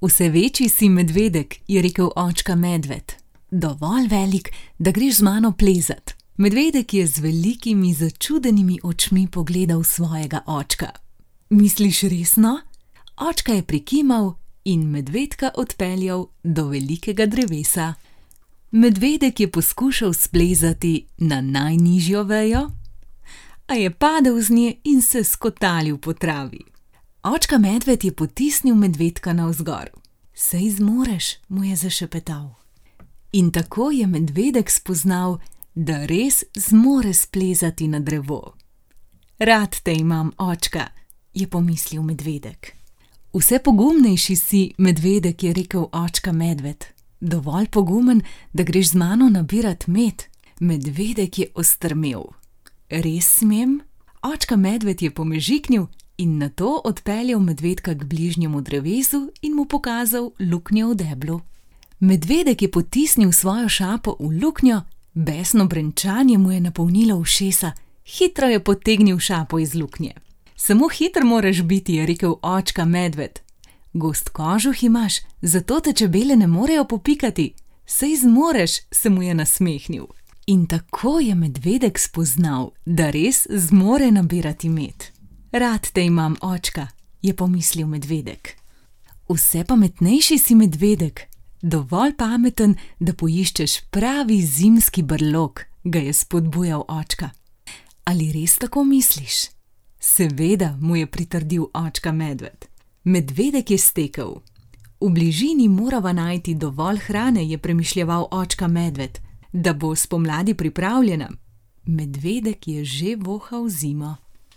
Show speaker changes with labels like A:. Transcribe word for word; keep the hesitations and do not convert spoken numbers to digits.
A: Vse večji si, medvedek, je rekel očka medved. Dovolj velik, da greš z mano plezat. Medvedek je z velikimi začudenimi očmi pogledal svojega očka. Misliš resno? Očka je prikimal in medvedka odpeljal do velikega drevesa. Medvedek je poskušal splezati na najnižjo vejo, a je padel z nje in se skotalil po travi. Očka medved je potisnil medvedka navzgor. Sej zmoreš, mu je zašepetal. In tako je medvedek spoznal, da res zmore splezati na drevo. Rad te imam, očka, je pomislil medvedek. Vse pogumnejši si, medvedek, je rekel očka medved. Dovolj pogumen, da greš z mano nabirat med. Medvedek je ostrmel. Res smem? Očka medved je pomežiknil in nato odpeljal medvedka k bližnjemu drevesu in mu pokazal luknjo v deblu. Medvedek je potisnil svojo šapo v luknjo, besno brenčanje mu je napolnilo ušesa, hitro je potegnil šapo iz luknje. Samo hiter moraš biti, je rekel očka medved. Gost kožuh imaš, zato te čebele ne morejo popikati. Sej zmoreš, se mu je nasmehnil. In tako je medvedek spoznal, da res zmore nabirati med. Rad te imam, očka, je pomislil medvedek. Vse pametnejši si, medvedek. Dovolj pameten, da poiščeš pravi zimski brlog, ga je spodbujal očka. Ali res tako misliš? Seveda, mu je pritrdil očka medved. Medvedek je stekel. V bližini morava najti dovolj hrane, je premišljeval očka medved, da bo spomladi pripravljena. Medvedek je že vohal zimo.